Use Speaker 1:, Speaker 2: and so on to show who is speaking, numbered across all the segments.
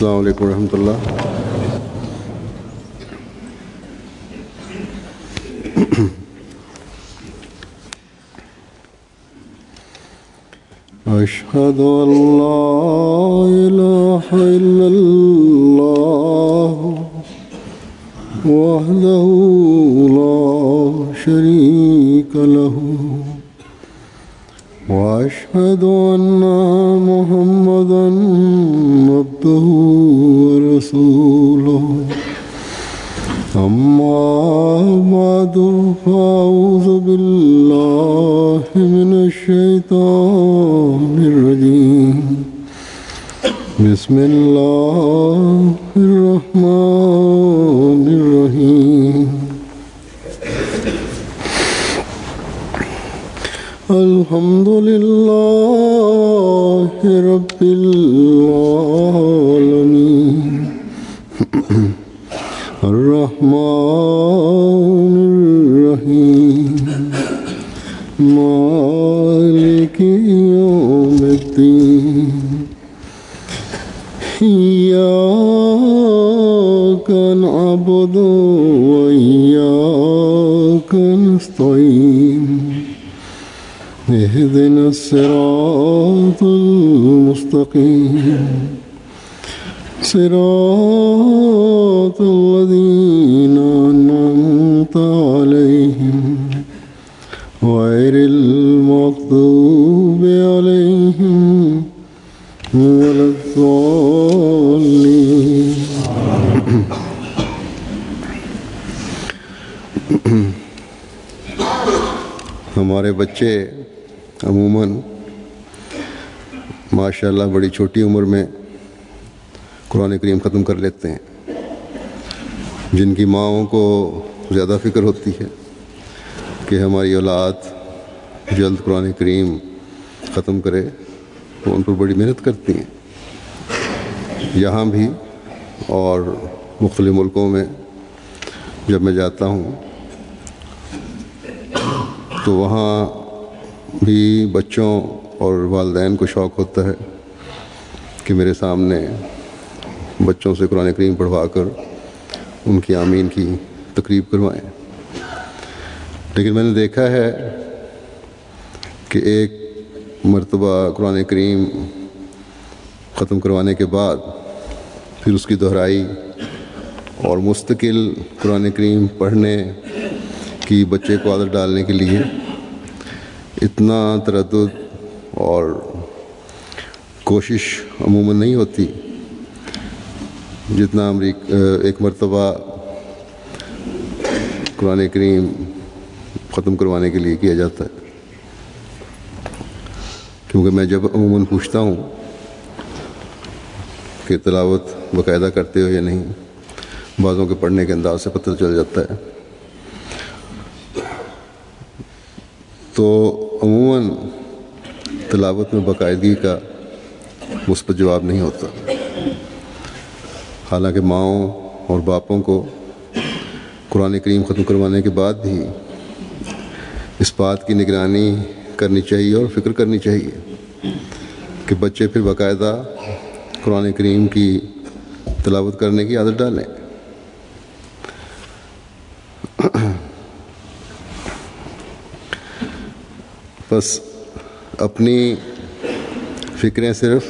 Speaker 1: السلام علیکم ورحمۃ اللہ۔ اشہد ان لا الہ الا اللہ وحدہ لا شریک لہ واشہد ان محمدا عبدہ ورسولہ، اما بعد فاعوذ باللہ من الشیطان الرجیم، بسم اللہ الرحمن الرحیم۔ الحمد للہ رب العالمین، الرحمن الرحیم، مالک یوم الدین، ایاک نعبد و ایاک نستعین، اهدنا الصراط المستقیم، صراط الذين أنعمت عليهم غير المغضوب عليهم ولا الضالين۔ ہمارے بچے عموماً ماشاء اللہ بڑی چھوٹی عمر میں قرآن کریم ختم کر لیتے ہیں، جن کی ماؤں کو زیادہ فکر ہوتی ہے کہ ہماری اولاد جلد قرآن کریم ختم کرے، وہ ان پر بڑی محنت کرتی ہیں۔ یہاں بھی اور مختلف ملکوں میں جب میں جاتا ہوں تو وہاں بھی بچوں اور والدین کو شوق ہوتا ہے کہ میرے سامنے بچوں سے قرآن کریم پڑھوا کر ان کی آمین کی تقریب کروائیں۔ لیکن میں نے دیکھا ہے کہ ایک مرتبہ قرآن کریم ختم کروانے کے بعد پھر اس کی دہرائی اور مستقل قرآن کریم پڑھنے کی بچے کو عادت ڈالنے کے لیے اتنا تردد اور کوشش عموماً نہیں ہوتی جتنا ایک مرتبہ قرآن کریم ختم کروانے کے لیے کیا جاتا ہے۔ کیونکہ میں جب عموماً پوچھتا ہوں کہ تلاوت باقاعدہ کرتے ہو یا نہیں، بعضوں کے پڑھنے کے انداز سے پتہ چل جاتا ہے، تو عموماً تلاوت میں باقاعدگی کا مثبت جواب نہیں ہوتا۔ حالانکہ ماؤں اور باپوں کو قرآن کریم ختم کروانے کے بعد بھی اس بات کی نگرانی کرنی چاہیے اور فکر کرنی چاہیے کہ بچے پھر باقاعدہ قرآن کریم کی تلاوت کرنے کی عادت ڈالیں۔ بس اپنی فکریں صرف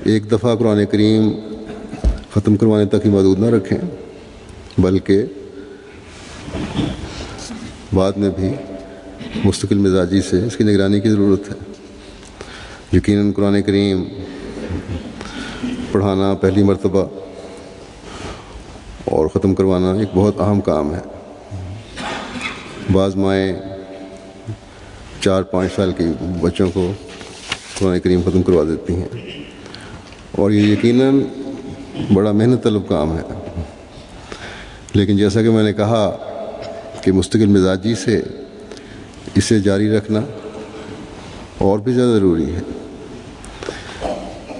Speaker 1: ایک دفعہ قرآن کریم ختم کروانے تک ہی محدود نہ رکھیں، بلکہ بعد میں بھی مستقل مزاجی سے اس کی نگرانی کی ضرورت ہے۔ یقیناً قرآن کریم پڑھانا پہلی مرتبہ اور ختم کروانا ایک بہت اہم کام ہے۔ بعض مائیں 4-5 سال کے بچوں کو قرآن کریم ختم کروا دیتی ہیں، اور یہ یقیناً بڑا محنت طلب کام ہے۔ لیکن جیسا کہ میں نے کہا کہ مستقل مزاجی سے اسے جاری رکھنا اور بھی زیادہ ضروری ہے۔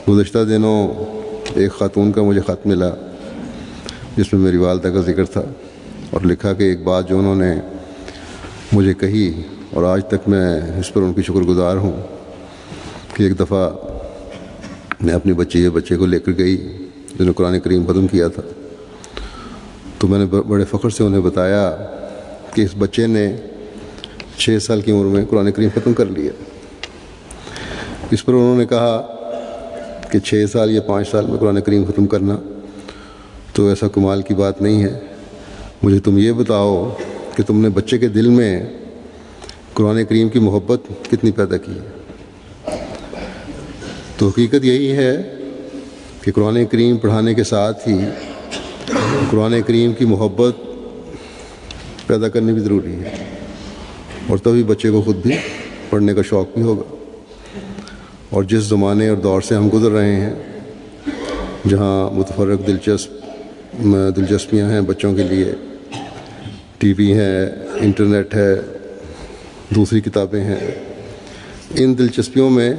Speaker 1: گزشتہ دنوں ایک خاتون کا مجھے خط ملا جس میں میری والدہ کا ذکر تھا، اور لکھا کہ ایک بات جو انہوں نے مجھے کہی اور آج تک میں اس پر ان کی شکر گزار ہوں کہ ایک دفعہ میں اپنی بچی یا بچے کو لے کر گئی जिन्होंने कुरान करीम ख़त्म किया था। तो मैंने बड़े फ़ख्र से उन्हें बताया कि इस बच्चे ने 6 साल की उम्र में कुरान करीम ख़त्म कर लिया। इस पर उन्होंने कहा कि 6 साल या 5 साल में कुरान करीम ख़त्म करना तो ऐसा कमाल की बात नहीं है। मुझे तुम ये बताओ कि तुमने बच्चे के दिल में कुरान करीम की मोहब्बत कितनी पैदा की है। तो हकीकत यही है कि कुरान करीम पढ़ाने के साथ ही कुरान करीम की मोहब्बत पैदा करनी भी ज़रूरी है, और तभी बच्चे को ख़ुद भी पढ़ने का शौक़ भी होगा। और जिस ज़माने और दौर से हम गुज़र रहे हैं, जहाँ मुतफर्रक दिलचस्पियाँ हैं बच्चों के लिए, टीवी है, इंटरनेट है, दूसरी किताबें हैं, इन दिलचस्पियों में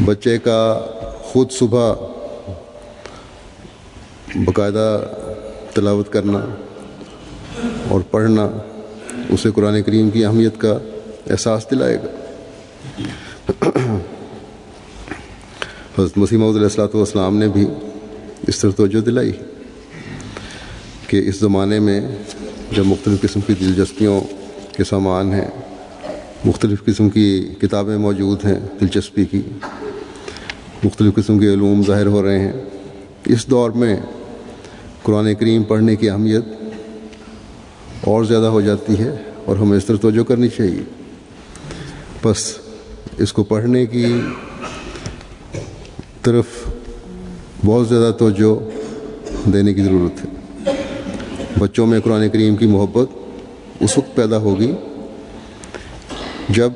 Speaker 1: बच्चे का ख़ुद सुबह बाकायदा तिलावत करना और पढ़ना उसे कुरान करीम की अहमियत का एहसास दिलाएगा। हज़रत मसीह मौऊद अलैहिस्सलाम ने भी इस तरह तवज्जो दिलाई कि इस ज़माने में जब मुख्तलिफ़ किस्म की दिलचस्पियों के सामान हैं, मुख्तलिफ़ किस्म की किताबें मौजूद हैं दिलचस्पी की, मुख्तलिफ़ किस्म के उलूम ज़ाहिर हो रहे हैं, इस दौर में कुरान करीम पढ़ने की अहमियत और ज़्यादा हो जाती है और हमें इस तरह तवज्जो करनी चाहिए। बस इसको पढ़ने की तरफ बहुत ज़्यादा तवज्जो देने की ज़रूरत है। बच्चों में कुरान करीम की मोहब्बत उस वक्त पैदा होगी जब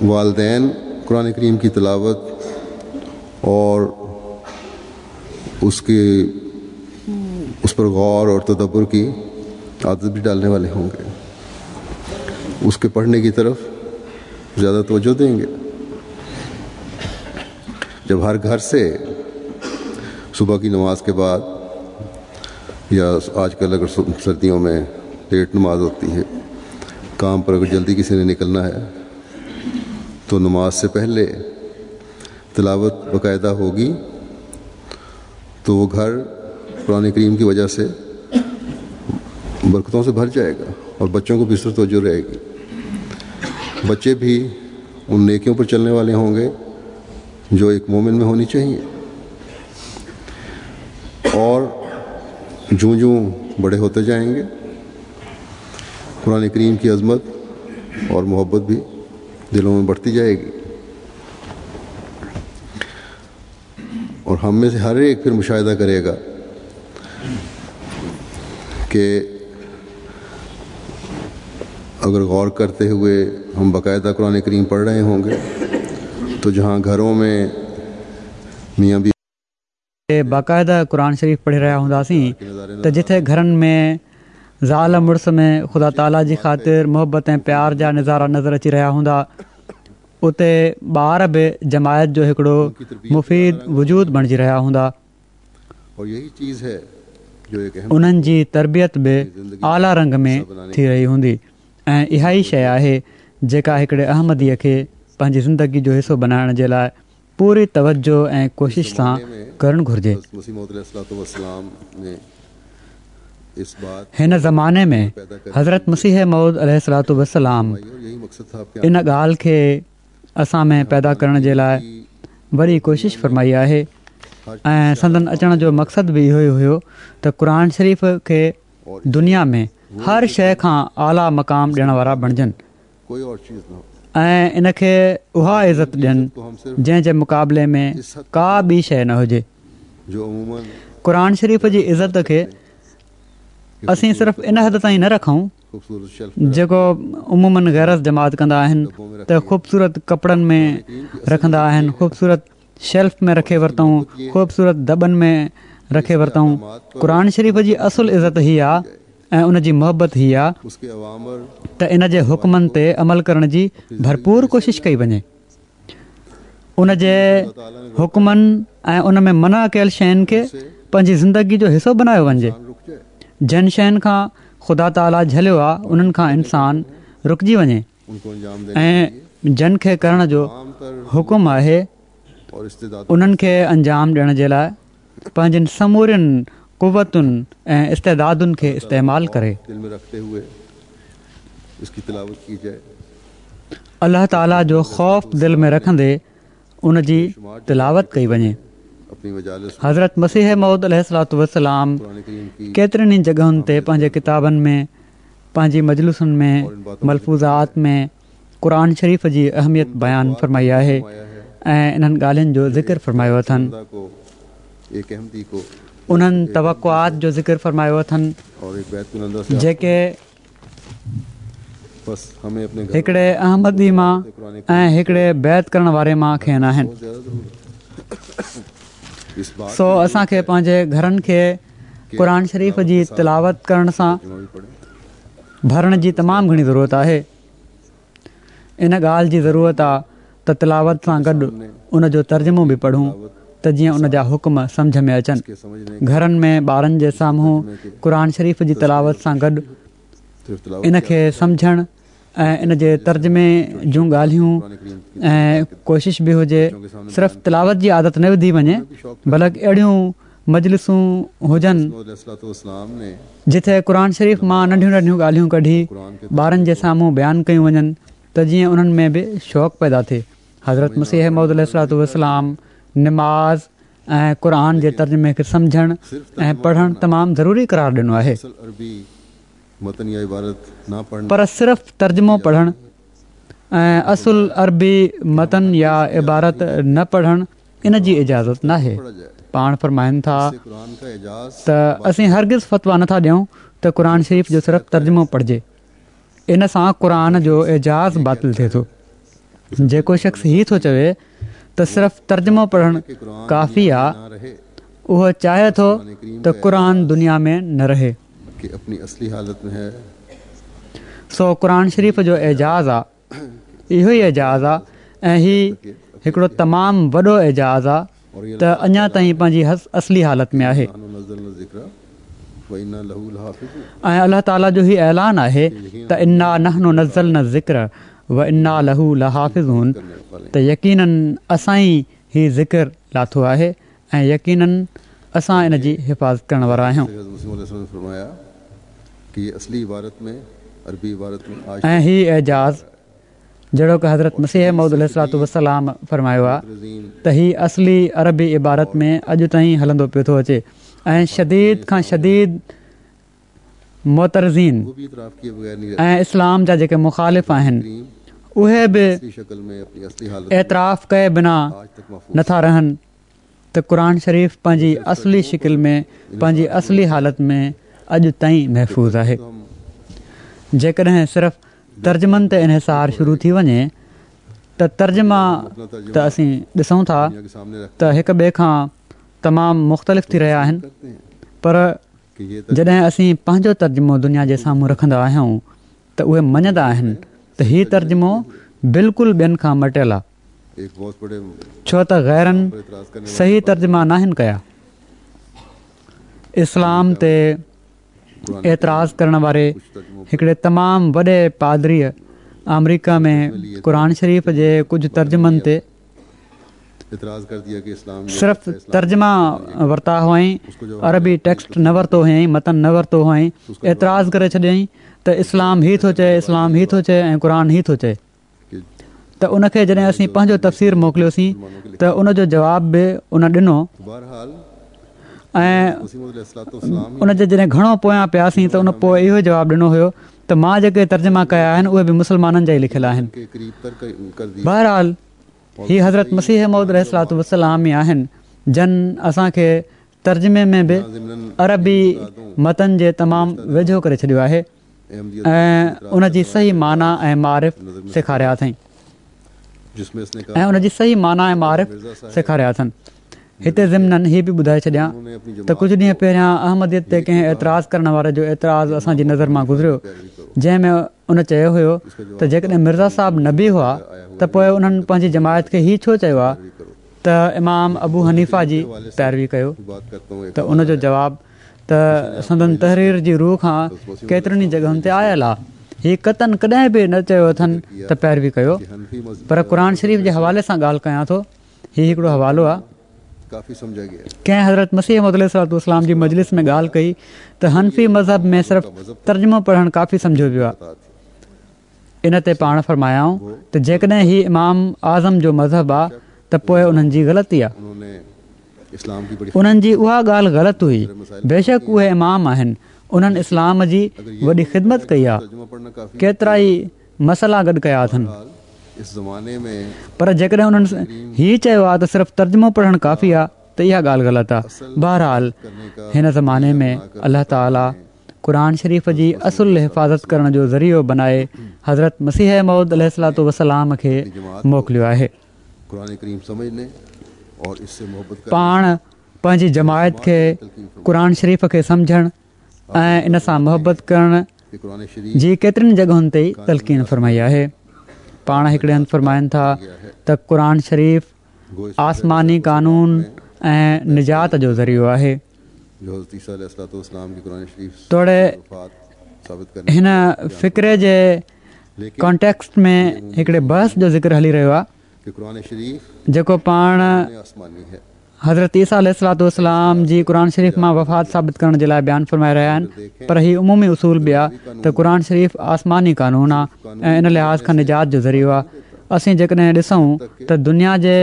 Speaker 1: वालदैन कुरान करीम की तिलावत और उसके उस पर गौर और तदब्बुर की आदत भी डालने वाले होंगे, उसके पढ़ने की तरफ ज़्यादा तवज्जो देंगे। जब हर घर से सुबह की नमाज के बाद, या आजकल अगर सर्दियों में लेट नमाज होती है, काम पर अगर जल्दी किसी ने निकलना है तो नमाज से पहले तिलावत बाकायदा होगी, तो वो घर कुरान करीम की वजह से बरकतों से भर जाएगा और बच्चों को भी इस तरह तवज्जो रहेगी। बच्चे भी उन नेकियों पर चलने वाले होंगे जो एक मोमिन में होनी चाहिए। और जूँ जूँ बड़े होते जाएंगे कुरान करीम की अज़मत और मोहब्बत भी दिलों में बढ़ती जाएगी, और हम में से हर एक फिर मुशाहिदा करेगा कि अगर गौर करते हुए हम बाकायदा कुरान करीम पढ़ रहे होंगे तो जहाँ घरों में मियाँ भी
Speaker 2: बाक़ाइदा क़ुरान शरीफ़ पढ़ी रहिया हूंदासीं त जिथे घरनि में ज़ाल मुड़ुस में ख़ुदा ताला जी ख़ातिर मोहबत ऐं प्यार जा नज़ारा नज़र अची रहिया हूंदा, उते ॿार बि जमायत जो हिकिड़ो मुफ़ीद वजूद बणिजी रहिया हूंदा। उन्हनि जी तरबियत बि आला रंग में थी रही हूंदी ऐं इहा ई शइ आहे जेका हिकिड़े अहमदीअ खे पंहिंजी ज़िंदगी जो हिसो बणाइण जे लाइ पूरी तवज्जो ऐं कोशिश सां करणु घुरिजे। हिन ज़माने में हज़रत मसीह मौऊद अलैहिस्सलातु वस्सलाम इन ॻाल्हि खे असां में पैदा करण जे लाइ वॾी कोशिश फरमाई आहे ऐं संदन अचण जो मक़सदु बि इहो ई हुयो त क़ुरान शरीफ़ खे दुनिया में हर शइ खां आला मक़ाम ॾियण वारा बणिजनि ऐं इन खे उहा इज़त ॾियनि जंहिं जे मुक़ाबले में का ॿी शइ न हुजे। क़ुरान शरीफ़ जी इज़त खे असीं सिर्फ़ इन हद ताईं न रखूं जेको उमूमन ग़ैर जमात कंदा आहिनि त ख़ूबसूरत कपिड़नि में रखंदा आहिनि, ख़ूबसूरत शेल्फ में रखे वरितऊं, ख़ूबसूरत दॿनि में रखे वरितऊं। क़ुरान शरीफ़ जी असुल इज़त ही आहे ऐं उन जी मोहबत ही आहे त इन जे हुक्मनि ते अमल करण जी भरपूर कोशिश कई वञे। उन जे हुक्मनि ऐं उन में मना कयल शयुनि खे पंहिंजी ज़िंदगी जो हिसो बनायो वञे। जिन शयुनि खां ख़ुदा ताला झलियो आहे उन्हनि खां इंसान रुकिजी वञे ऐं जन खे करण जो हुकुम आहे उन्हनि खे अंजाम ॾियण जे लाइ پنهنجين سمورين قوتن ۽ استعدادن کي استعمال ڪري. الله تعاليٰ جو خوف دل ۾ رکندي ان جي تلاوت ڪئي وڃي. حضرت مسيح موعود عليه الصلوة والسلام ڪيترين ئي جڳهن تي پنهنجي ڪتابن ۾، پنهنجي مجلسن ۾، ملفوظات ۾، قرآن شريف جي اهميت بيان فرمائي آهي ۽ انهن ڳالهين جو ذڪر فرمايو اٿن. انهن توقعات جو ذڪر فرمايو اٿن جيڪي هڪڙي احمدي مان ۽ هڪڙي بيعت ڪرڻ واري مان کين آهن. سو اسان کي پنهنجي گهرن کي قرآن شريف جي تلاوت ڪرڻ سان ڀرڻ جي تمام گهڻي ضرورت آهي. ان ڳالهه جي ضرورت آ ته تلاوت سان گڏ ان جو ترجمو به پڙهون ته جيئن ان جا حڪم سمجهه ۾ اچن. گهرن ۾ ٻارن جي سامهون قرآن شريف جي تلاوت سان گڏ ان کي سمجهڻ ۽ ان جي ترجمي جون ڳالهيون ۽ ڪوشش به هجي صرف تلاوت جي عادت نه وڌي وڃي بلڪ اهڙيون مجلسون هجن جتي قرآن شريف مان ننڍيون ننڍيون ڳالهيون ڪڍي ٻارن جي سامهون بيان ڪيون وڃن ته جيئن انهن ۾ به شوق پيدا ٿئي. حضرت مسيح موعود عليه الصلوة والسلام نماز ۽ قرآن جي ترجمي کي سمجهڻ ۽ پڙهڻ تمام ضروري قرار ڏنو آهي. پر صرف ترجمو پڙهڻ ۽ اصل عربي متن يا عبارت نه پڙهڻ ان جي اجازت ناهي. پاڻ فرمائن ٿا ته اسين هرگز فتويٰ نٿا ڏيون ته قرآن شريف جو صرف ترجمو پڙهجي. ان سان قرآن جو اعجاز باطل ٿئي ٿو. جيڪو شخص هي ٿو چوي ته صرف ترجمو پڙهڻ ڪافي آ، اهو چاهي ٿو ته قرآن دنيا ۾ نه رهي. سو قرآن شريف جو اعجاز آ. اهو ئي اعجاز آ ۽ هي هڪڙو تمام وڏو اعجاز آ ته اڃا تائين پنهنجي اصلي حالت ۾ آهي ۽ الله تعالي جو هي اعلان آهي ته انا نحن نزلنا الذڪر وانا له لحافظون ته يقيناً اسان ئي هي ذڪر لاٿو آهي ۽ يقيناً اسان ان جي حفاظت ڪرڻ وارا آهيون. ۽ هي اعجاز جهڙوڪ حضرت مسيح موعود عليه الصلوة والسلام فرمايو آهي ته هي اصلي عربي عبارت ۾ اڄ تائين هلندو پيو ٿو اچي ۽ شديد کان شديد معترضين ۽ اسلام جا جيڪي مخالف آهن اهي به اعتراف ڪئي بنا نٿا رهن ته قرآن شريف پنهنجي اصلي شڪل ۾ پنهنجي اصلي حالت ۾ اڄ تائين محفوظ آهي. جيڪڏهن صرف ترجمن تي انحصار شروع ٿي وڃي ته ترجما ته اسين ڏسون ٿا ته هڪ ٻئي کان تمام مختلف ٿي رهيا آهن پر جڏهن اسين پنهنجو ترجمو دنيا جي سامهون رکندا آهيون ته اهي مڃندا آهن ته هي ترجمو بلڪل ٻين کان مٽيل آهي. ڇو ته غيرن صحيح ترجما ناهن ڪيا. اسلام تي اعتراض ڪرڻ واري هڪڙي تمام وڏي پادريء آمريڪا ۾ قرآن شريف جي ڪجهه ترجمن تي صرف ترجما ورتا هئائين، عربي ٽيڪسٽ نه ورتو هئائين، متن نه ورتو هئائين، اعتراض ڪري ڇڏيائين ته اسلام هي ٿو چئي، اسلام هي ٿو چئي ۽ قرآن هي ٿو چئي. ته ان کي جڏهن اسين پنهنجو تفسير موڪليوسين ته ان جو جواب به ان ڏنو ۽ ان جي جڏهن گهڻو پويان پياسين ته ان پوء اهو جواب ڏنو هيو ته مان جيڪي ترجما ڪيا آهن اهي به مسلمانن جا ئي لکيل آهن. بهرحال هي حضرت مسيح موعود عليه الصلوة والسلام ئي آهن جن اسان کي ترجمي ۾ به عربي متن جي تمام ويجهو ڪري ڇڏيو آهي. ۽ ان جي صحيح معنيٰ ۽ معارف سيکاريا اٿائين ۽ ان جي صحيح معنيٰ ۽ معارف سيکاريا اٿن. هتي ضمناً هي به ٻڌائي ڇڏيان ته ڪجهه ڏينهن پهريان احمديت تي ڪنهن اعتراض ڪرڻ واري جو اعتراض اسان جي نظر مان گذريو جنهن ۾ ان چيو هيو ته جيڪڏهن مرزا صاحب نبي هئا ته پوء انهن پنهنجي جماعت کي هي ڇو چيو آ ته امام ابو حنيفه جي پيروي ڪيو ته ان جو جواب ته سندن تحرير جي رو کان ڪيترين ئي جڳهن تي آيل آ. هي قطعاً ڪڏهن به نه چيو اٿن ته پيروي ڪيو. پر قرآن شريف جي حوالي سان ڳالهه ڪيان ٿو. هي هڪڙو حوالو آ. ڪنهن حضرت مسيح موعود عليه الصلوة والسلام جي مجلس ۾ ڳالهه ڪئي ته حنفي مذهب ۾ صرف ترجمو پڙهڻ ڪافي سمجهيو ويو آهي. ان تي پاڻ فرمايائون ته جيڪڏهن هي امام اعظم جو مذهب آ ته پوء انهن جي غلطي آ. انهن جي اها ڳالهه غلط هئي. بيشڪ اهي امام آهن. انهن اسلام جي وڏي خدمت ڪئي آ. ڪيترائي مسئلا گڏ ڪيا اٿن. پر جيڪڏهن انهن هي چيو آ ته صرف ترجمو پڙهڻ ڪافي آ ته اها ڳالهه غلط آ. بهرحال هن زماني ۾ الله تعالي قرآن شريف جي اصل حفاظت ڪرڻ جو ذريعو بنائي حضرت مسيح موعود عليه الصلوة والسلام کي موڪليو آهي. پاڻ پنهنجي جماعت کي قرآن شريف کي سمجهڻ ۽ ان سان محبت ڪرڻ جي ڪيترين جڳهن تي تلقين فرمائي آهي. پاڻ هڪڙي هنڌ فرمائن ٿا ته قرآن شريف آسماني قانون ۽ نجات جو ذريعو آهي. توڙي هن فقري جي ڪانٽيڪسٽ ۾ هڪڙي بحث جو ذڪر هلي رهيو آهي جيڪو پاڻ حضرت عيسيٰ عليه الصلوة والسلام جي قرآن شريف مان وفات ثابت ڪرڻ جي لاء بيان فرمائي رهيا آهن پر هي عمومي اصول به آهي ته قرآن شريف آسماني قانون آهي ۽ ان لحاظ کان نجات جو ذريعو آهي اسين جيڪڏهن ڏسون ته دنيا جي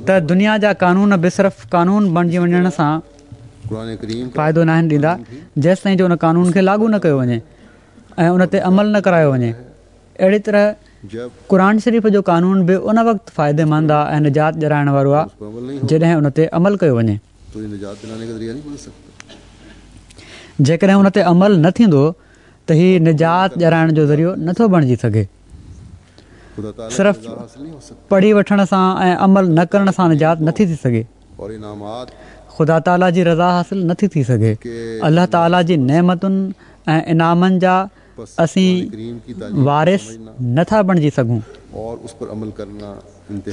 Speaker 2: ته دنيا جا قانون به صرف قانون بڻجي وڃڻ سان فائدو ناهن ڏيندا جيستائين جو ان قانون کي لاڳو نه ڪيو وڃي ۽ ان تي عمل نه ڪرايو وڃي اهڙي طرح قرآن شريف جو قانون به ان وقت فائديمند آ ۽ نجات ڏيارائڻ وارو آ جڏهن ان تي عمل ڪيو وڃي. جيڪڏهن ان تي عمل نه ٿيندو ته هي نجات ڏيارائڻ جو ذريعو نه ٿو بڻجي سگهي. صرف پڙهي وٺڻ سان ۽ عمل نه ڪرڻ سان نجات نه ٿي ٿي سگهي. خدا تعاليٰ جي رضا حاصل نه ٿي ٿي سگهي. الله تعاليٰ جي نعمتن ۽ انعامن جا اسين وارث نه ٿا بڻجي سگهون.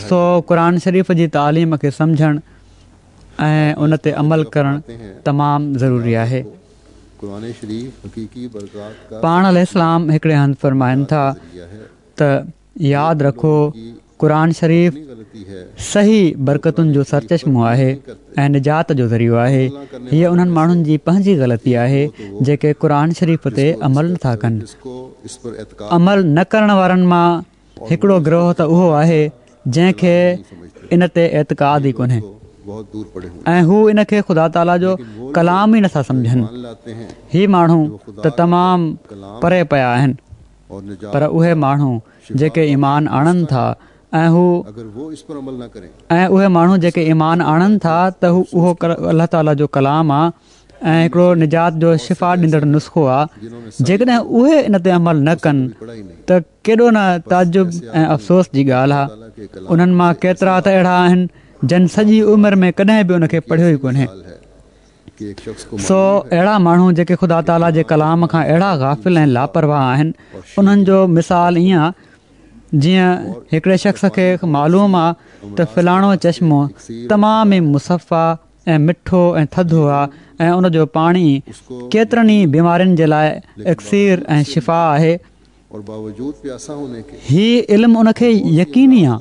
Speaker 2: سو قرآن شريف جي تعليم کي سمجهڻ ۽ ان تي عمل ڪرڻ تمام ضروري آهي. پاڻ عليه السلام هڪڙي هنڌ فرمائن ٿا ته ياد رکو قرآن شريف صحيح برڪتن جو سرچشمو آهي ۽ نجات جو ذريعو آهي. هيء انهن ماڻهن جي پنهنجي غلطي آهي جيڪي قرآن شريف تي عمل نٿا ڪن. عمل نه ڪرڻ وارن مان هڪڙو گروهه ته اهو آهي جنهن کي ان تي اعتقاد ئي ڪونهي ۽ هو ان کي خدا تعاليٰ جو ڪلام ئي نٿا سمجهن. هي ماڻهو ته تمام پري پيا آهن. پر اهي ماڻهو جيڪي ايمان آڻن ٿا ۽ هو ۽ اهي ماڻهو جيڪي ايمان آڻن ٿا ته هو اهو الله تعالي جو ڪلام آ ۽ هڪڙو نجات جو شفا ڏيندڙ نسخو آ جيڪڏهن اهي ان تي عمل نه ڪن ته ڪيڏو نه تعجب ۽ افسوس جي ڳالهه آ انهن مان ڪيترا ته اهڙا آهن جن سڄي عمر ۾ ڪڏهن به ان کي پڙهيو ئي ڪونهي. سو اهڙا ماڻهو جيڪي خدا تعاليٰ جي ڪلام کان اهڙا غافل ۽ لاپرواهه آهن، انهن جو مثال ائين آ جيئن هڪڙي شخص کي معلوم آ ته فلاڻو چشمو تمام ئي مصفا ۽ مٺو ۽ ٿڌو آ ۽ ان جو پاڻي ڪيترن ئي بيمارين جي لاء اڪسير ۽ شفا آهي، هي علم ان کي يقيني آ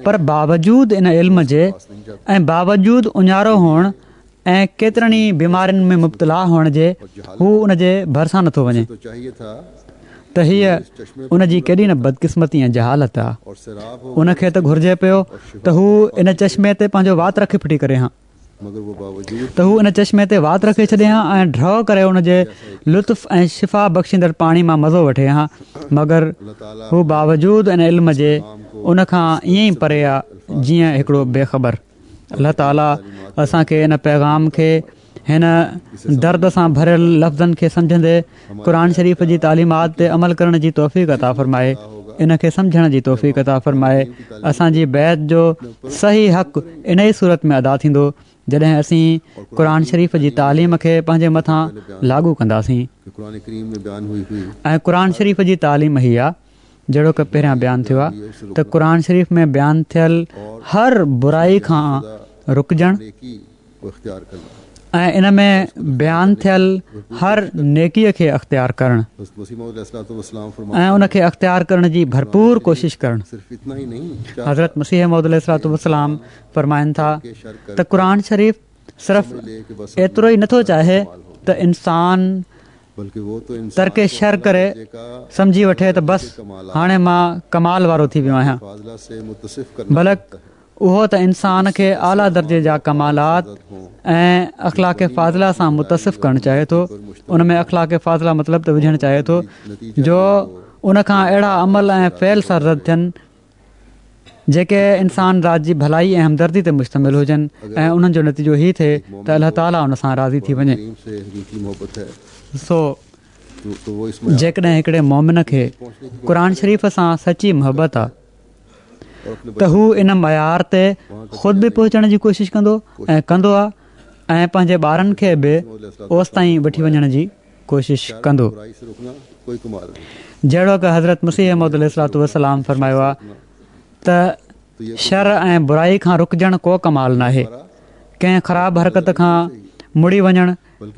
Speaker 2: پر باوجود ان علم جي ۽ باوجود اڃارو هئڻ ۽ ڪيترن ئي بيمارين ۾ مبتلا هئڻ جي هو ان جي ڀرسان نٿو وڃي ته هيء ان جي ڪيڏي نه بدقسمتي ۽ جهالت آ. ان کي ته گهرجي پيو ته هو ان چشمي تي پنهنجو وات رکي ڦٽي ڪري هان. ته هو ان چشمي تي وات رکي ڇڏي ها ۽ ڍؤ ڪري ان جي لطف ۽ شفا بخشيندڙ پاڻي مان مزو وٺي ها مگر هو باوجود ان علم جي ان کان ائين ئي پري آ جيئن هڪڙو بي خبر. الله تعالي اسان کي ان پيغام کي هن درد سان ڀريل لفظن کي سمجهندي قرآن شريف جي تعليمات تي عمل ڪرڻ جي توفيق عطا فرمائي ان کي سمجهڻ جي توفيق عطا فرمائي اسان جي بيعت جو صحيح حق ان ئي صورت ۾ ادا ٿيندو جڏهن اسين قرآن شريف جي تعليم کي پنهنجي مٿان لاڳو ڪنداسين ۽ قرآن شريف جي تعليم هي آ جهڙوڪ پهريان بيان ٿيو آهي ته قرآن شريف ۾ بيان ٿيل هر برائي کان رڪجڻ ۽ ان ۾ بيان ٿيل هر نيڪيء کي اختيار ڪرڻ ۽ ان کي اختيار ڪرڻ جي ڀرپور ڪوشش ڪرڻ. حضرت مسيح موعود عليه الصلوة والسلام فرمائن ٿا ته قرآن شريف صرف ايترو ئي نٿو چاهي ته انسان ترڪ شر ڪري سمجهي وٺي ته بس هاڻي مان ڪمال وارو ٿي ويو آهيان بلڪ اهو ته انسان کي اعليٰ درجي جا ڪمالات ۽ اخلاق فاضله سان متصف ڪرڻ چاهي ٿو ان ۾ اخلاق فاضله مطلب ته وجهڻ چاهي ٿو جو ان کان اهڙا عمل ۽ فعل سرزد ٿين جيڪي انسان ذات جي ڀلائي ۽ همدردي تي مشتمل هجن ۽ انهن جو نتيجو هي ٿئي ته الله تعاليٰ ان سان راضي ٿي وڃي. سو جيڪڏهن هڪڙي مؤمن کي قرآن شريف سان سچي محبت آ ته هو ان معيار تي خود به پهچڻ جي ڪوشش ڪندو ۽ ڪندو آ ۽ پنهنجي ٻارن کي به اوستائين وٺي وڃڻ جي ڪوشش ڪندو. جهڙوڪ حضرت مسيح موعود عليه الصلوة والسلام فرمايو آهي ته شر ۽ برائي کان رڪجڻ ڪو ڪمال ناهي. ڪنهن خراب حرڪت کان مڙي وڃڻ،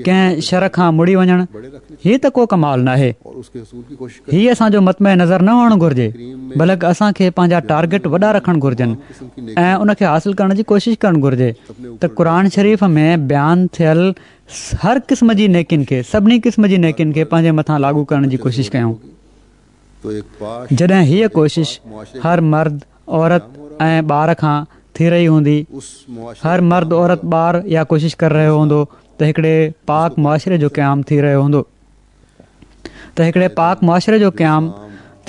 Speaker 2: ڪنهن شر کان مڙي وڃڻ، هي ته ڪو ڪمال ناهي. هي اسان جو مطمع نظر نه هئڻ گهرجي، بلڪ اسان کي پنهنجا ٽارگيٽ وڏا رکڻ گهرجن ۽ ان کي حاصل ڪرڻ جي ڪوشش ڪرڻ گهرجي ته قرآن شريف ۾ بيان ٿيل هر قسم جي نيڪين کي، سڀني قسم جي نيڪين کي پنهنجي مٿان لاڳو ڪرڻ جي ڪوشش ڪيون. جڏهن هيء ڪوشش هر مرد، عورت ۽ ٻار کان ٿي رهي هوندي، هر مرد، عورت، ٻار اها ڪوشش ڪري رهيو هوندو ته هڪڙي پاڪ معاشري جو قيام ٿي رهيو هوندو ته هڪڙي پاڪ معاشري جو قيام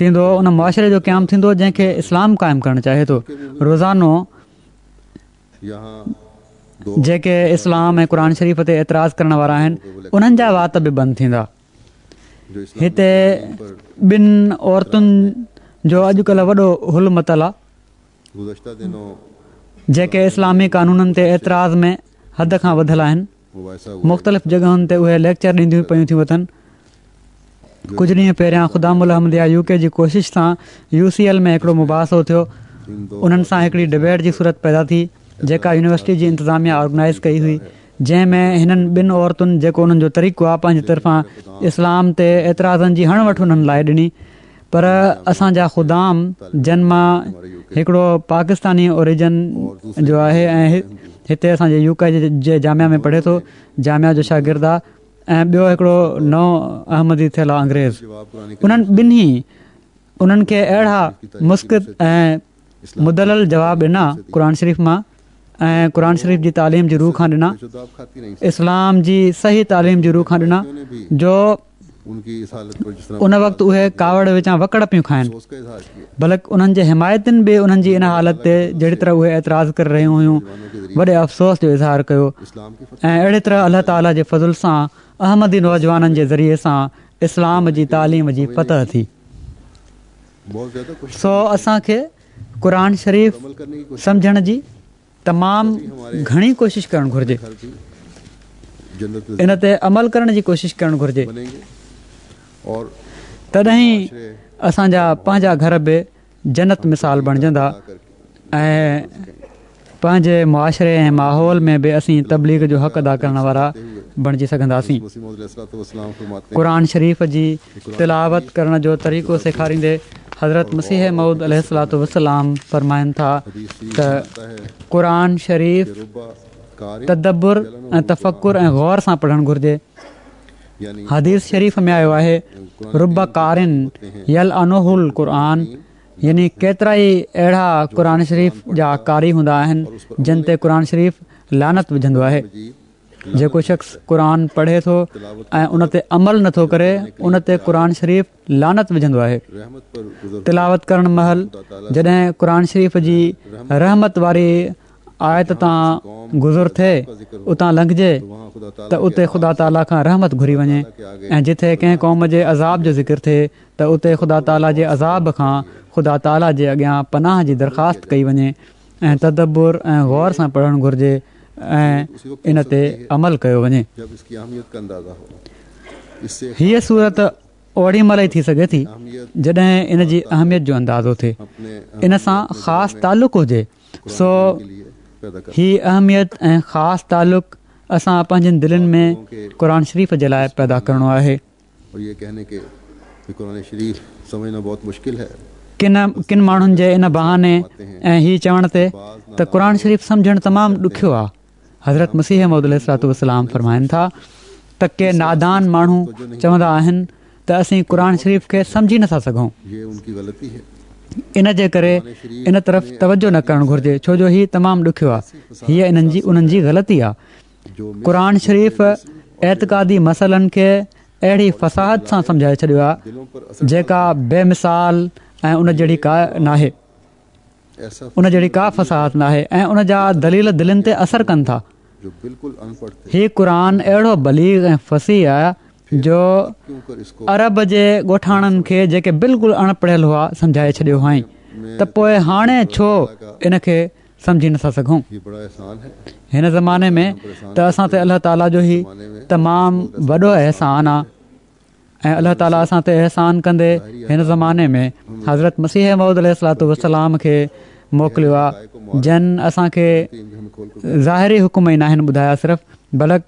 Speaker 2: ٿيندو، ان معاشري جو قيام ٿيندو جنهن کي اسلام قائم ڪرڻ چاهي ٿو. روزانو جيڪي اسلام ۽ قرآن شريف تي اعتراض ڪرڻ وارا آهن انهن جا وات به بند ٿيندا. هتي ٻن عورتن جو اڄڪلهه وڏو هل متل آ جيڪي اسلامي قانونن تي اعتراض ۾ حد کان وڌل آهن. مختلف جڳهن تي اهي ليڪچر ڏينديون پيون ٿيون وتن. ڪجهه ڏينهن پهريان خدام الاحمديه يو ڪي جي ڪوشش سان يو سي ايل ۾ هڪڙو مباحثو ٿيو. انهن سان هڪڙي ڊبيٽ جي صورت پيدا ٿي جيڪا يونيورسٽي جي انتظاميه آرگنائيز ڪئي هئي جنهن ۾ هنن ٻن عورتن جيڪو انهن جو طريقو آهي پنهنجي طرفان اسلام تي اعتراضن جي هڻ وٺ انهن لاء ڏني پر اسان جا خدام جن مان هڪڙو پاڪستاني اوريجن جو آهي ۽ هتي اسان جي يو ڪي جي جامعه ۾ پڙهي ٿو جامعه جو شاگرد آهي ۽ ٻيو هڪڙو نئون احمدي ٿيل آهي انگريز انهن ٻنهي انهن کي اهڙا مسقط ۽ مدلل جواب ڏنا قرآن شريف مان ۽ قرآن شريف جي تعليم جي رو کان ڏنا اسلام جي صحيح تعليم جي رو کان ڏنا جو ان وقت اهي ڪاوڙ وچان وڪڙ پيون کائن بلڪ انهن جي حمايتين به انهن جي ان حالت تي جهڙي طرح اهي اعتراض ڪري رهيون هيون وڏي افسوس جو اظهار ڪيو ۽ اهڙي طرح الله تعالي جي فضل سان احمدي نوجوانن جي ذريعي سان اسلام جي تعليم جي فتح ٿي سو اسان کي قرآن شريف سمجهڻ جي تمام گهڻي ڪوشش ڪرڻ گهرجي. ان تي عمل ڪرڻ جي ڪوشش ڪرڻ گهرجي. تڏهن ئي اسان جا پنهنجا گهر به جنت مثال بڻجندا ۽ پنهنجي معاشري ۽ ماحول ۾ به اسين تبليغ جو حق ادا ڪرڻ وارا بڻجي سگهنداسين. قرآن شريف جي تلاوت ڪرڻ جو طريقو سيکاريندي حضرت مسيح موعود عليه الصلوة والسلام فرمائن ٿا ته قرآن شريف تدبر ۽ تفڪر ۽ غور سان پڙهڻ گهرجي. حديث شريف ۾ آيو آهي رب قارٍ يلعنه القرآن يعني ڪيترائي اهڙا قرآن شريف جا قاري هوندا آهن جن تي قرآن شريف لعنت وجهندو آهي. جيڪو شخص قرآن پڙهي ٿو ۽ ان تي عمل نٿو ڪري ان تي قرآن شريف لعنت وجهندو آهي. تلاوت ڪرڻ مهل جڏهن قرآن شريف جي رحمت واري آيت تان گذر ٿئي اتان لنگهجي ته اتي خدا تعاليٰ کان رحمت گهري وڃي ۽ جتي ڪنهن قوم جي عذاب جو ذڪر ٿئي ته اتي خدا تعاليٰ جي عذاب کان خدا تعاليٰ جي اڳيان پناهه جي درخواست ڪئي وڃي ۽ تدبر ۽ غور سان پڙهڻ گهرجي ۽ ان تي عمل ڪيو وڃي. هيء صورت اوڏي مهل ئي ٿي سگهي ٿي جڏهن ان جي اهميت جو اندازو ٿئي، ان سان خاص تعلق هجي، سو هي اهميت ۽ خاص تعلق اسان پنهنجين دلين ۾ قرآن شريف جي لاء پيدا ڪرڻو آهي. ڪن ڪن ماڻهن جي ان بهاني ۽ هي چوڻ تي ته قرآن شريف سمجهڻ تمام ڏکيو آهي. حضرت مسيح موعود عليه الصلوة والسلام فرمائن ٿا ته ڪي نادان ماڻهو چوندا آهن ته اسين قرآن شريف کي سمجهي نٿا سگهون. ان جي ڪري ان طرف توجه نه ڪرڻ گهرجي ڇو جو هي تمام ڏکيو آهي. هيء انهن جي انهن جي غلطي آهي. قرآن شريف اعتقادي مسئلن کي اهڙي فصاحت سان سمجهائي ڇڏيو آهي جيڪا بي مثال ۽ ان جهڙي ڪا ناهي. ان جهڙي ڪا فصاحت ناهي ۽ ان جا دليل دلين تي اثر ڪن ٿا. هي قرآن اهڙو بليغ ۽ فصيح آهي جو عرب جي ڳوٺاڻن کي جيڪي بلڪل اڻ پڙهيل هئا سمجهائي ڇڏيو هئائين ته پوء هاڻي ڇو ان کي سمجهي نٿا سگهون. هن زماني ۾ ته اسان تي الله تعاليٰ جو هي تمام وڏو احسان آهي. ۽ الله تعاليٰ اسان تي احسان ڪندي هن زماني ۾ حضرت مسيح موعود عليه الصلوة والسلام کي موڪليو آهي جن اسان کي ظاهري حڪم ئي ناهن ٻڌايا صرف بلڪ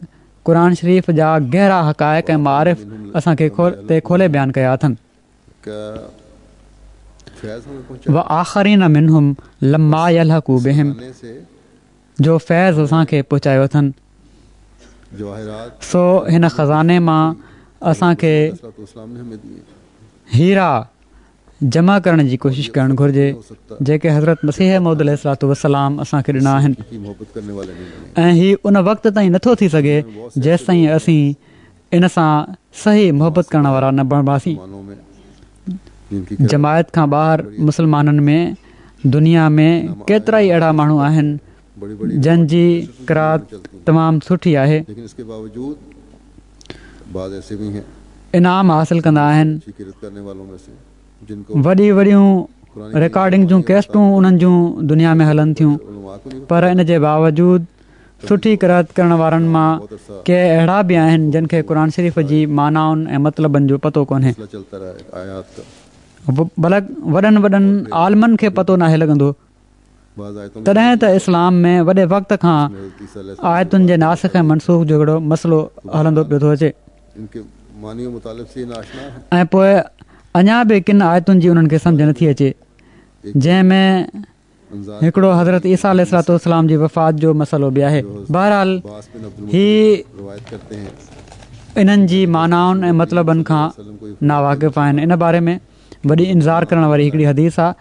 Speaker 2: قرآن شريف جا گهرا حقائق ۽ معارف اسان کي تي کولي بيان ڪيا اٿن. وآخرين منهم لما يلحقوا بهم جو فيض اسان کي پهچايو اٿن، سو هن خزاني مان اسان کي هيرا جمع ڪرڻ جي ڪوشش ڪرڻ گهرجي، جيڪي حضرت مسيح موعود عليه الصلوة والسلام اسان کي ڏنا آهن ۽ هي ان وقت تائين نٿو ٿي سگهي جيستائين اسين ان سان صحيح محبت ڪرڻ وارا نه بڻباسين. جماعت کان ٻاهر مسلمانن ۾ دنيا ۾ ڪيترائي اهڙا ماڻهو آهن جن جي قرات تمام سٺي آهي. انعام حاصل ڪندا آهن. وڏي وڏيون رڪارڊنگ جون ڪيسٽون انهن جون دنيا ۾ هلن ٿيون پر ان جي باوجود سٺي قرائت ڪرڻ وارن مان ڪي اهڙا به آهن جن کي قرآن شريف جي معنائن ۽ مطلبن جو پتو ڪونهي. بلڪ وڏن وڏن عالمن کي پتو ناهي لڳندو. تڏهن ته اسلام ۾ وڏي وقت کان آيتن جي ناسخ ۽ منسوخ جو هڪڙو مسئلو هلندو پيو ٿو اچي. ۽ پوء اڃا به ڪن آيتن جي انهن کي سمجهه نٿي اچي جنهن ۾. هڪڙو حضرت عيسيٰ عليه الصلوة والسلام جي وفات جو مسئلو به آهي. بهرحال هي انهن جي معنائن ۽ مطلبن کان ناواقف آهن. ان باري ۾ وڏي انذار ڪرڻ واري هڪڙي حديث آهي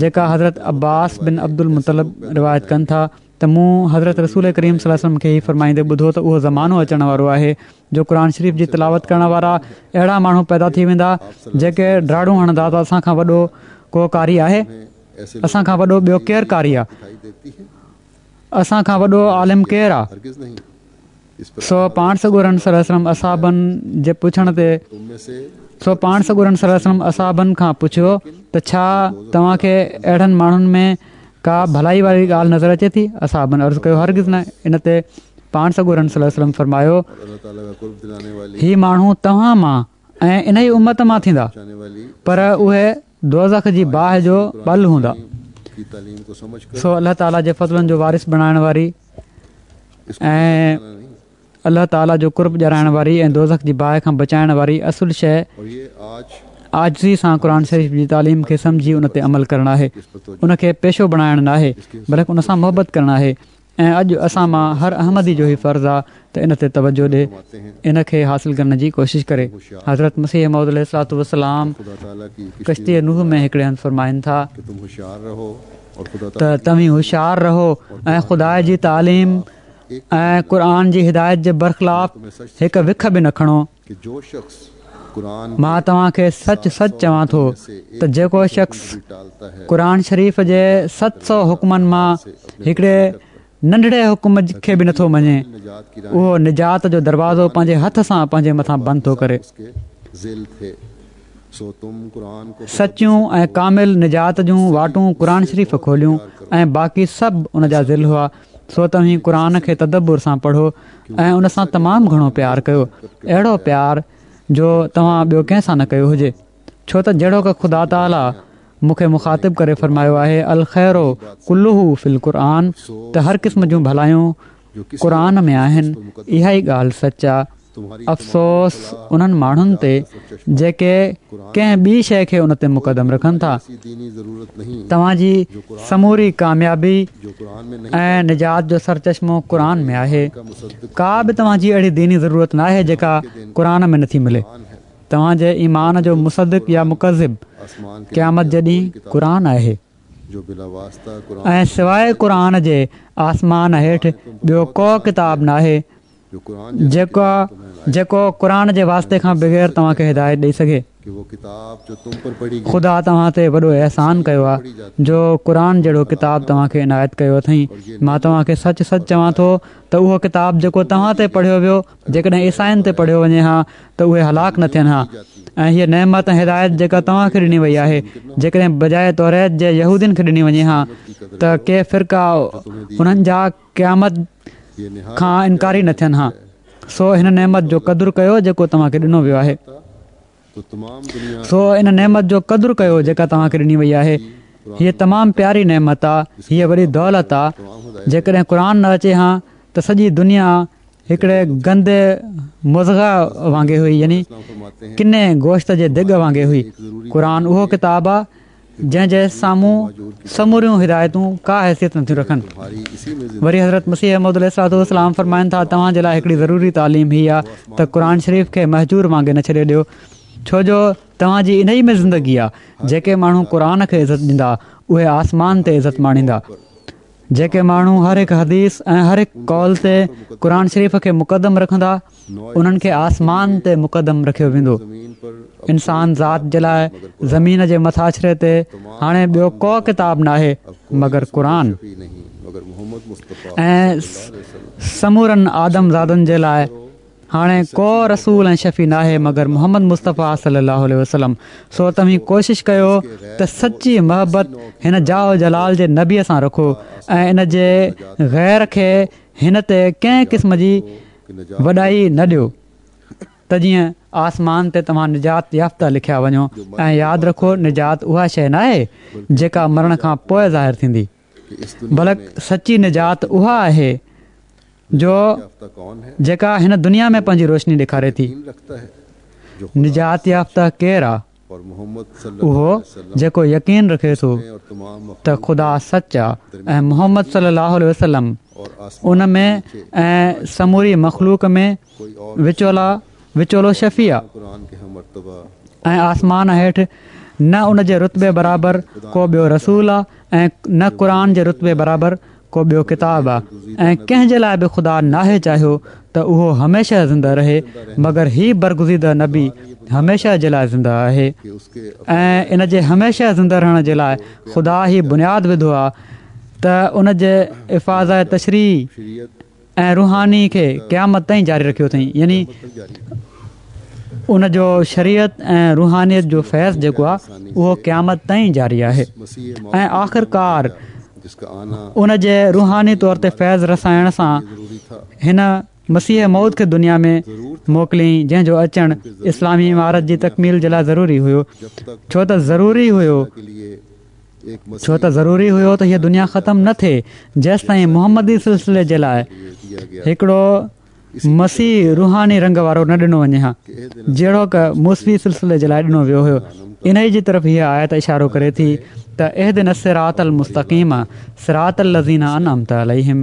Speaker 2: جيڪا حضرت عباس بن عبدالمطلب روايت ڪن ٿا ته مون حضرت رسول ڪريم صلي الله عليه وسلم کي هي فرمائيندي ٻڌو ته اهو زمانو اچڻ وارو آهي جو قرآن شريف جي تلاوت ڪرڻ وارا اهڙا ماڻهو پيدا ٿي ويندا جيڪي ڊاڙون هڻندا ته اسان کان وڏو ڪو قاري آهي؟ اسان کان وڏو ٻيو ڪير قاري آ؟ اسان کان وڏو عالم ڪير آ؟ سو پاڻ سڳورن صلي الله عليه وسلم اصحابن جي پڇڻ تي سو پاڻ سڳورن صلي الله عليه وسلم اصحابن کان پڇيو ته ڇا توهان کي اهڙن ماڻهن ۾ ڪا ڀلائي واري ڳالهه نظر اچي ٿي؟ اصحابن عرض ڪيو هرگز نه ان تي پاڻ سڳورن صلي الله عليه وسلم فرمايو هي ماڻهو توهان مان ۽ انهي امت مان ٿيندا پر اهي دوزخ جي باهه جو ٻل هوندا. سو الله تعالي جي فضلن جو وارث بڻائڻ واري ۽ الله تعالي جو قرب ڏيارائڻ واري ۽ دوزخ جي باهه کان بچائڻ واري اصل شيء عاجزي سان قرآن شريف جي تعليم کي سمجهي ان تي عمل ڪرڻ آهي. ان کي پيشو بڻائڻ ناهي بلڪ ان سان محبت ڪرڻ آهي. ۽ اڄ اسان مان هر احمدي جو هي فرض آ ته ان تي توجه ڏي، ان کي حاصل ڪرڻ جي ڪوشش ڪري. حضرت مسيح موعود عليه الصلوة والسلام ڪشتي نوح ۾ هڪڙي هنڌ فرمائن ٿا ته توهين هوشيار رهو ۽ خدا جي تعليم ۽ قرآن جي هدايت جي برخلاف هڪ وک به نه کڻو. مان توهان کي سچ سچ چوان ٿو ته جيڪو شخص قرآن شريف جي 700 حڪمن مان هڪڙي ننڍڙي حڪم کي به نٿو مڃي اهو نجات جو دروازو پنهنجي هٿ سان پنهنجي مٿان بند ٿو ڪري. سچيون ۽ ڪامل نجات جون واٽون قرآن شريف کوليون ۽ باقي سڀ ان جا ظل هئا. سو توهين قرآن کي تدبر سان پڙهو ۽ ان سان تمام گهڻو پيار ڪيو، اهڙو پيار جو توهان ٻيو ڪنهن سان نه ڪيو هجي، ڇو ته جهڙوڪ خدا تعاليٰ مون کي مخاطب ڪري فرمايو آهي الخير ڪله في القرآن ته هر قسم جون ڀلايون قرآن ۾ آهن، اها ئي ڳالهه سچ آ. افسوس انهن ماڻهن تي جيڪي ڪنهن ٻي شيء کي ان تي مقدم رکن ٿا. توهان جي سموري ڪاميابي ۽ نجات جو سرچشمو قرآن ۾ آهي. ڪا به توهان جي اهڙي ديني ضرورت ناهي جيڪا قرآن ۾ نٿي ملي. توهان جي ايمان جو مصدق يا مڪذب قيامت جي ڏينهن قرآن آهي. ۽ سواء قرآن جي آسمان هيٺ ٻيو ڪو ڪتاب ناهي جيڪو جيڪو قرآن جي واسطي کان بغير توهان کي هدايت ڏئي سگهي. خدا توهان تي وڏو احسان ڪيو آهي جو قرآن جهڙو ڪتاب توهان کي عنايت ڪيو اٿئين. مان توهان کي سچ سچ چوان ٿو ته اهو ڪتاب جيڪو توهان تي پڙهيو ويو جيڪڏهن عيسائين تي پڙهيو وڃي ها ته اهي هلاڪ نه ٿين ها ۽ هيء نعمت ۽ هدايت جيڪا توهان کي ڏني وئي آهي جيڪڏهن بجاء توريت جي يهودين کي ڏني وڃي ها ته ڪي فرقا انهن جا قيامت کان انڪاري نه ٿين ها سو هن نعمت جو قدر ڪيو جيڪو توهان کي ڏنو ويو آهي. سو ان نعمت جو قدر ڪيو جيڪا توهان کي ڏني وئي آهي. هيء تمام پياري نعمت آ، هيء وڏي دولت آ. جيڪڏهن قرآن نه اچي هان ته سڄي دنيا هڪڙي گندي مضغه وانگي هئي يعني ڪني گوشت جي دڳ وانگي هئي. قرآن اهو ڪتاب آ جنهن جي سامهون سموريون هدايتون ڪا حيثيت نٿيون رکن. وري حضرت مسيح موعود عليه الصلوة والسلام فرمائن ٿا، توهان جي لاء هڪڙي ضروري تعليم هي آ ته قرآن شريف کي مهجور وانگي نه ڇڏي ڏيو، ڇو جو توهان جي انهي ۾ زندگي آ، جيڪي ماڻهو قرآن کي عزت ڏيندا، اهي آسمان تي عزت ماڻيندا. جيڪي ماڻهو هر هڪ حديث ۽ هر هڪ قول تي قرآن شريف کي مقدم رکندا، انهن کي آسمان تي مقدم رکيو ويندو. انسان ذات جي لاء زمين جي مٿاڇري تي هاڻي ٻيو ڪو ڪتاب ناهي مگر قرآن ۽ سمورن آدم زادن جي لاء هاڻي ڪو رسول ۽ شفيع ناهي مگر محمد مصطفيٰ صلي الله عليه وسلم سو توهين ڪوشش ڪيو ته سچي محبت هن جاه و جلال جي نبي سان رکو ۽ ان جي غير کي هن تي ڪنهن قسم جي وڏائي نه ڏيو ته جيئن آسمان تي توهان نجات يافته لکيا وڃو ۽ ياد رکو نجات اها شيء ناهي جيڪا مرڻ کان پوء ظاهر ٿيندي بلڪ سچي نجات اها آهي جو جيڪا هن دنيا ۾ پنهنجي روشني ڏيکاري ٿي. نجات يافته ڪير آ؟ اهو جيڪو يقين رکي ٿو ته خدا سچ آ ۽ محمد صلي الله عليه وسلم ان ۾ ۽ سموري مخلوق ۾ وچولا وچولو شفيع آ ۽ آسمان هيٺ نه ان جي رتبي برابر ڪو ٻيو رسول آ ۽ نه قرآن جي رتبي برابر ڪو ٻيو ڪتاب آ ۽ ڪنهن جي لاء به خدا ناهي چاهيو ته اهو هميشه زنده رهي مگر هي برگزيده نبي هميشه جي لاء زنده آهي ۽ ان جي هميشه زنده رهڻ جي لاء خدا هي بنياد وڌو آ ته ان جي افاضه تشريعي ۽ روحاني کي قيامت تائين جاري رکيو اٿئين يعني ان جو شريعت ۽ روحانيت جو فيض جيڪو آهي اهو قيامت تائين جاري آهي ۽ آخرڪار ان جي روحاني طور تي فيض رسائڻ سان هن مسيح موعود کي دنيا ۾ موڪليائين جنهن جو اچڻ اسلامي امارت جي تڪميل جي لاء ضروري هيو ڇو ته ضروري هيو ڇو ته ضروري هيو ته هيء دنيا ختم نه ٿئي جيستائين محمدي سلسلي جي لاء هڪڙو مسيح روحاني رنگ وارو نه ڏنو وڃي ها جهڙوڪ موسوي سلسلي جي لاء ڏنو ويو هيو. انهيء جي طرف هيء آيت اشارو ڪري ٿي ته اهدنا الصراط المستقيم صراط الذين انعمت عليهم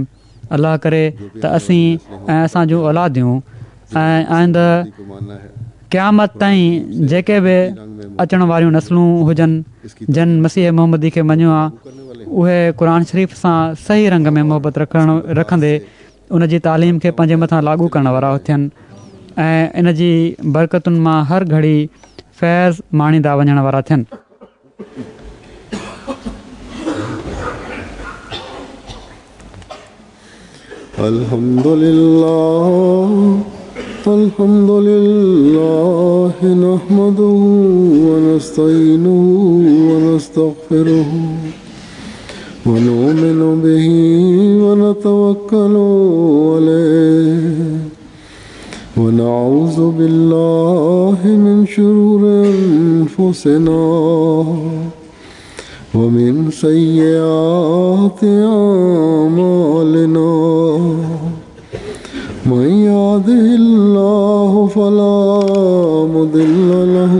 Speaker 2: الله ڪري ته اسين ۽ اسان جون اولاديون ۽ آئنده قيامت تائين جيڪي به اچڻ واريون نسلون هجن جن مسيح محمدي کي مڃيو آ اهي قرآن شريف سان صحيح رنگ ۾ محبت رکڻ رکندي ان جي تعليم کي پنهنجي مٿان لاڳو ڪرڻ وارا ٿين ۽ ان جي برڪتن مان هر گهڙي فيض ماڻيندا وڃڻ وارا ٿين.
Speaker 1: الحمد لله الحمد لله نحمده ونستعينه ونستغفره ونؤمن به ونتوكل عليه ونعوذ بالله من شرور أنفسنا ومن سيئات أعمالنا.
Speaker 3: من يهده الله فلا مضل له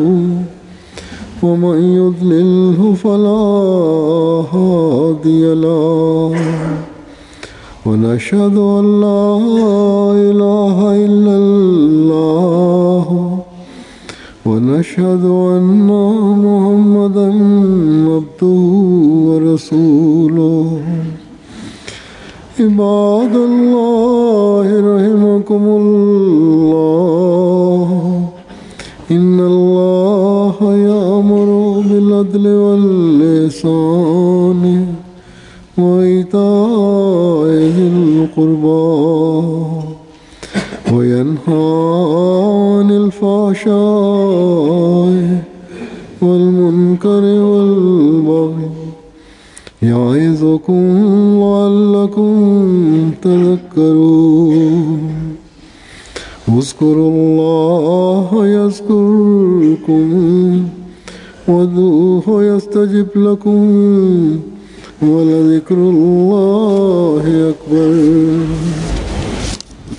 Speaker 3: ومن يضلله فلا هادي له ونشهد أن لا إله إلا الله ونشهد أن محمدا عبده ورسوله. عباد الله رحمكم الله، إن الله يأمر بالعدل والإحسان وإيتاء ذي القربى وينهى عن الفحشاء والمنكر والبغي يعظكم لعلكم تذكرون. اذكروا الله يذكركم وادعوه يستجب لكم ولذكر الله أكبر.